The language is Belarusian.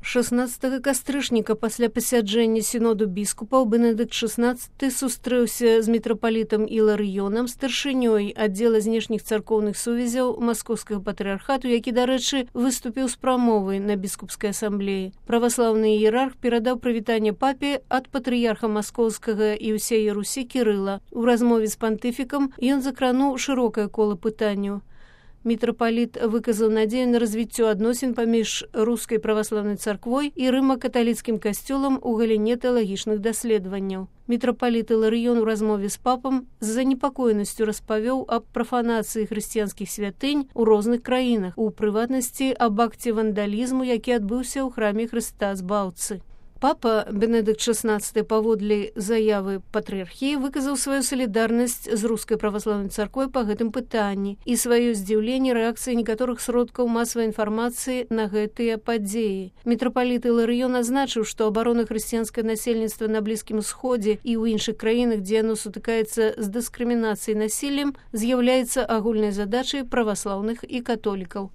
16 кастрычніка пасля пасяджэння сіноду біскупаў Бенедыкт XVI сустрэўся з мітрапалітам Іларыёнам, старшынёй аддзела знешніх царкоўных сувязяў маскоўскага патрыархату, які, дарэчы, выступіў з прамовай на біскупскай асамблеі. Праваслаўны іерарх перадаў прывітанне папе ад патрыярха маскоўскага і ўсяе Русі Кірыла. У размове з пантыфікам ён закрануў шырокае кола пытанняў. Мітрапаліт выказаў надзею на развіццё адносін паміж рускай праваслаўнай царквой і рыма-каталіцкім касцёлам у галіне тэалагічных даследаванняў. Мітрапаліт Іларыён у размове з папам з занепакоенасцю распавёў аб прафанацыі хрысціянскіх святынь у розных краінах, у прыватнасці аб акце вандалізму, які адбыўся ў храме Хрыста Збаўцы. Папа Бенедыкт XVI паводле заявы патрыархіі выказаў сваю салідарнасць з рускай праваслаўнай царквой па гэтым пытанні і сваё здзіўленне рэакцыі некаторых сродкаў масавай інфармацыі на гэтыя падзеі. Мітрапаліт Іларыён азначыў, што абарона хрысціянскае насельніцтва на Блізкім Усходзе і ў іншых краінах, дзе яно сутыкаецца з дыскрымінацыяй насіллем, з'яўляецца агульнай задачай праваслаўных і католікаў.